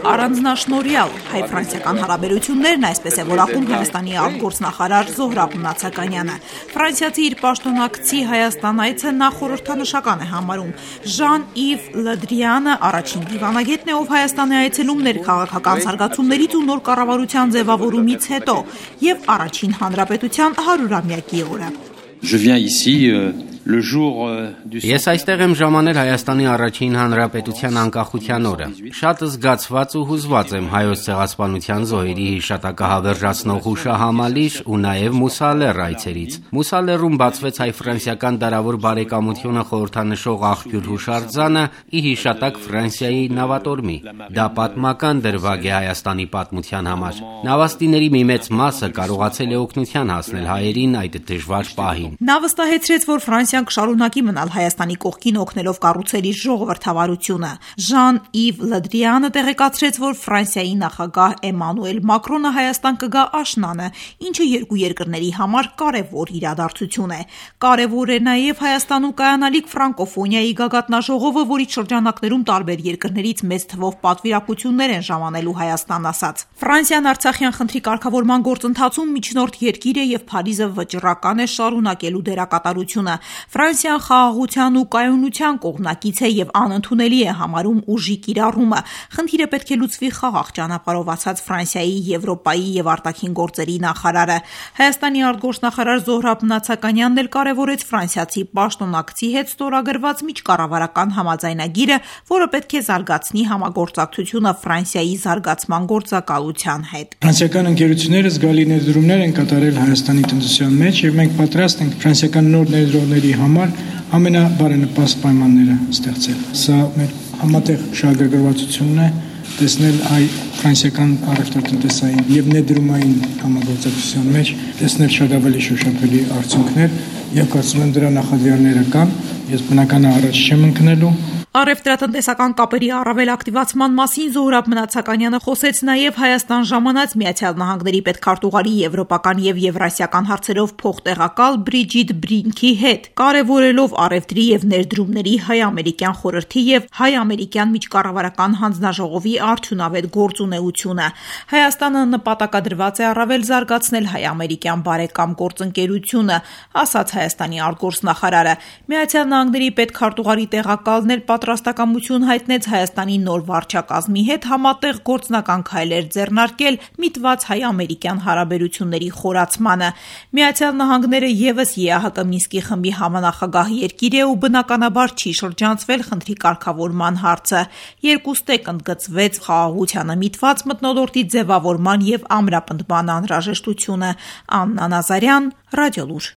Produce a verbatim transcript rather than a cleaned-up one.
Առանձնաշնորհյալ հայ-ֆրանսիական հարաբերություններն, այսպես է որակում Հայաստանի արտգործնախարար Զոհրաբ Մնացականյանը։ Ֆրանսիացի իր պաշտոնակցի Հայաստան այցը նա խորհրդանշական է համարում։ Ժան-Իվ Լդրիանը առաջին դիվանագետն է, ով Հայաստան է այցելում ներքաղաքական զարգացումներից ու նոր կառավարության ձևավորումից հետո եւ առաջին հանրապետության հարյուրամյակի օրը։ Ես այստեղ եմ ժամանել Հայաստանի առաջին հանրապետության անկախության օրը։ Շատ զգացված ու հուզված եմ Հայոց ցեղասպանության զոհերի հիշատակը հավերժացնող հուշահամալիր ու նաև Մուսալեռ այցերից։ Մուսալեռում բացվեց հայ-ֆրանսիական դարավոր բարեկամությունը խորհրդանշող աղբյուր հուշարձանը ի հիշատակ Ֆրանսիայի նավատորմի։ Դա պատմական դրվագ է Հայաստանի պատմության համար։ Նավաստիների մի մեծ մասը կարողացել է օգնության հասնել հայերին այդ դժվար պահին։ Նա վստահեցրեց, որ Ֆրանսիան կշարունակի մնալ Հայաստանի կողքին օգնելով կառուցել իր ժողովրդավարությունը։ Ժան-Իվ Լդրիանը տեղեկացրեց, որ Ֆրանսիայի նախագահ Էմանուել Մակրոնը Հայաստան կգա աշնանը, ինչը երկու երկրների համար կարևոր իրադարձություն է։ Կարևոր է նաև Հայաստանում կայանալիք ֆրանկոֆոնիայի գագաթնաժողովը, որի շրջանակներում տարբեր երկրներից մեծ թվով պատվիրակություններ են ժամանելու Հայաստան, ասաց։ Ֆրանսիան Արցախյան խնդրի կարգավորման գործընթացում միջնորդ երկիր է եւ Փարիզը վճռական է շարունակելու դերակատարությունը։ Ֆրանսիան խաղաղության ու կայունության կողմնակից է եւ անընդունելի է համարում ուժի կիրառումը։ Խնդիրը պետք է լուծվի խաղաղ ճանապարհով, ասաց Ֆրանսիայի, Եվրոպայի եւ արտաքին գործերի նախարարը։ Հայաստանի արտգործնախարար Զոհրաբ Մնացականյանն էլ կարևորեց ֆրանսիացի պաշտոնակցի հետ ստորագրված միջկառավարական համաձայնագիրը, որը պետք է զարգացնի համագործակցությունը Ֆրանսիայի զարգացման գործակալության հետ։ Ֆրանսիական ընկերությունները զգալի ներդրումներ են կատարել Հայաստանի տնտեսության մեջ եւ մենք պատրաստ ենք ֆրանսիական նոր ներդրողների համար ամենաբարենպաստ պայմանները ստեղծել։ Սա մեր համատեղ շահագրգռվածությունն է տեսնել հայ-ֆրանսիական առևտրատնտեսային եւ ներդրումային համագործակցության մեջ տեսնել շատ ավելի շոշափելի արդյունքներ եւ կարծում եմ դրա նախադրյալները կան։ Ես բնական է առաջ չեմ ընկնելու։ Առևտրատնտեսական կապերի առավել ակտիվացման մասին Զոհրաբ Մնացականյանը խոսեց նաև Հայաստան ժամանած Միացյալ Նահանգների պետքարտուղարի եվրոպական եւ եվրասիական հարցերով փոխտեղակալ Բրիջիտ Բրինքի հետ, կարևորելով առևտրի եւ ներդրումների հայ-ամերիկյան խորհրդի եւ հայ-ամերիկյան միջկառավարական հանձնաժողովի արդյունավետ գործունեությունը։ Հայաստանը նպատակադրված է առավել զարգացնել հայ-ամերիկյան բարեկամ գործընկերությունը, ասաց Հայաստանի արտգործնախարարը։ Միացյալ Նահանգների պետքարտուղարի տեղակալն էլ պատրաստակամություն հայտնեց Հայաստանի նոր վարչակազմի հետ համատեղ գործնական քայլեր ձեռնարկել միտված հայ-ամերիկյան հարաբերությունների խորացմանը։ Միացյալ Նահանգները եւս Է Ա Հ Կ Մինսկի խմբի համանախագահ երկիր է ու բնականաբար չի շրջանցվել խնդրի կարգավորման հարցը։ Երկուստեք ընդգծվեց խաղաղությանը միտված մթնոլորտի ձևավորման եւ ամրապնդման անհրաժեշտությունը։ Աննա Նազարյան, Ռադիոլուր։